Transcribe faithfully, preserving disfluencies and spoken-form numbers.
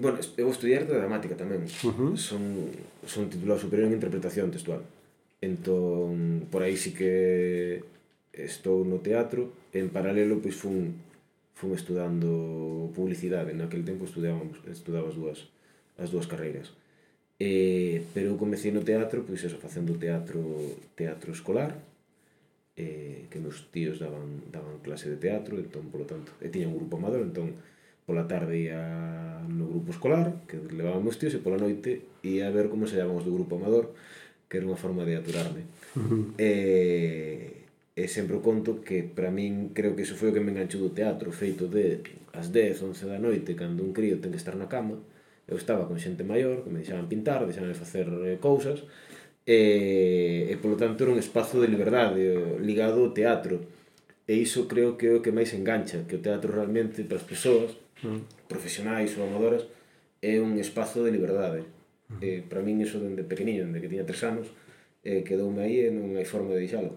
Bueno, eu estudei arte dramática tamén. Uh-huh. Son, son titulado superior en interpretación textual. Entón, por aí sí que estou no teatro. En paralelo, pois, fun, fun estudando publicidade. Naquele tempo estudábamos, estudaba as dúas, as dúas carreiras. Eh, pero eu comecei no teatro, pois eso, facendo teatro, teatro escolar, eh, que meus tíos daban, daban clase de teatro, entón, polo tanto, e tiña un grupo amador, entón, pola tarde ia no grupo escolar, que levaban meus tíos, e pola noite ia a ver como se llamaban os do grupo amador, que era unha forma de aturarme. Uh-huh. E, e sempre o conto que, para min, creo que iso foi o que me enganchou do teatro, feito de as dez, once da noite, cando un crío ten que estar na cama. Eu estaba con xente maior, que me deixaban pintar, deixaban facer cousas, e, e polo tanto era un espazo de liberdade ligado ao teatro. E iso creo que é o que máis engancha, que o teatro realmente para as persoas, uh-huh, profesionais ou amadoras, é un espazo de liberdade. Uh-huh. E para min iso dende pequeniño, dende que tiña tres anos, eh, quedoume aí e non hai forma de deixalo.